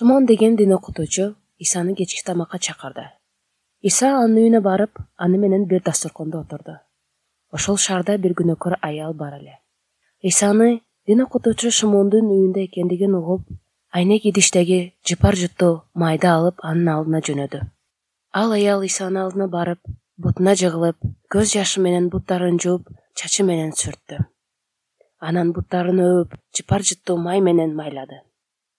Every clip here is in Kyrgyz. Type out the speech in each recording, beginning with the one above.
Шымон деген дин окутуучу Исаны кечки тамакка чакырды. Иса анын үйүнө барып, аны менен бир дасторкондо отурду. Ошол шаарда бир күнөөкөр аял бар эле. Исаны дин окутуучу Шымондун үйүндө экендигин угуп, айнек идиштеги жыпар жутту майды алып анын алдына жөнөдү. Ал аял Исанын алдына барып, бутуна жыгылып, көз жашы менен буттарын жууп, чачы менен сүрттү. Анан буттарын өөп, жыпар жутту май менен майлады.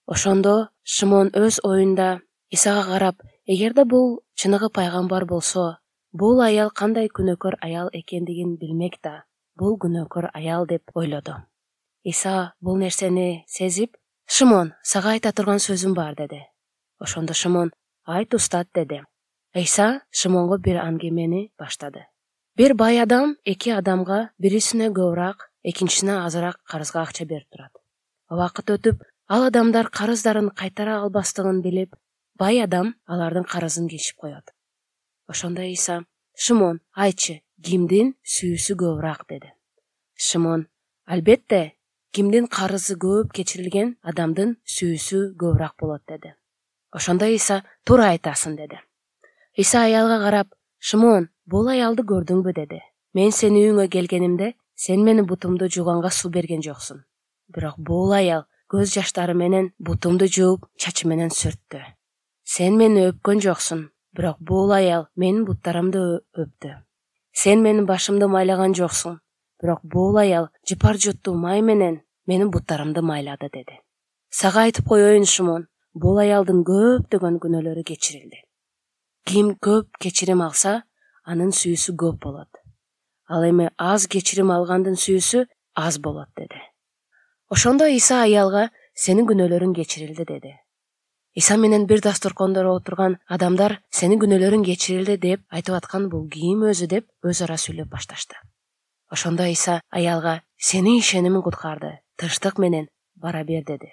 Ошондо Шымон өз оюнда Исага карап, эгерде бул чыныгы пайгамбар болсо, бул аял кандай күнөөкөр аял экендигин билмек да, бул күнөөкөр аял деп ойлоду. Иса бул нерсени сезип, «Шымон, сага айта турган сөзүм бар» деди. Ошондо Шымон «Айт устат» деди. Иса Шымонго бир аңгемени баштады. Бир бай адам эки адамга бирисине көбүрөөк, экинчисине азыраак карызга акча берип турат. Убакыт өтүп, ал адамдар карыздарын кайтара албастыгын билип, бай адам алардын карызын кечип коет. Ошондо Иса «Шымон, айтчы, кимдин сүйүүсү көбүрөөк?» деди. Шымон «Албетте, кимдин карызы көп кечирилген адамдын сүйүүсү көбүрөөк болот» деди. Ошондо Иса «Туура айтасың» деди. Иса аялга карап, «Шымон, бул аялды көрдүңбү?» деди. «Мен сенин үйүңө келгенимде, сен менин бутумду жууганга суу берген жоксуң. Бирок бул аял көз жаштары менен бутумду жууп, чачы менен сүрттү. Сен мени өпкөн жоксуң, бирок бул аял менин буттарымды өптү. Сен менин башымды майлаган жоксуң, бирок бул аял жыпар жутту май менен менин буттарымды майлады» деди. Сага айтып коеюн, Шымон, бул аялдын көптөгөн күнөөлөрү кечирилди. Ким көп кечирим алса, анын сүйүүсү көп болот. Ал эми аз кечирим алгандын сүйүүсү аз болот деди. Ошондо Иса аялга «Сенин күнөөлөрүң кечирилди» деди. Иса менен бир дасторкондо отурган адамдар «Сенин күнөөлөрүң кечирилди» деп айтып аткан бул ким өзү деп өз ара сүйлөп башташты. Ошондо Иса аялга «Сенин ишенимиң куткарды, тынчтык менен бара бер» деди.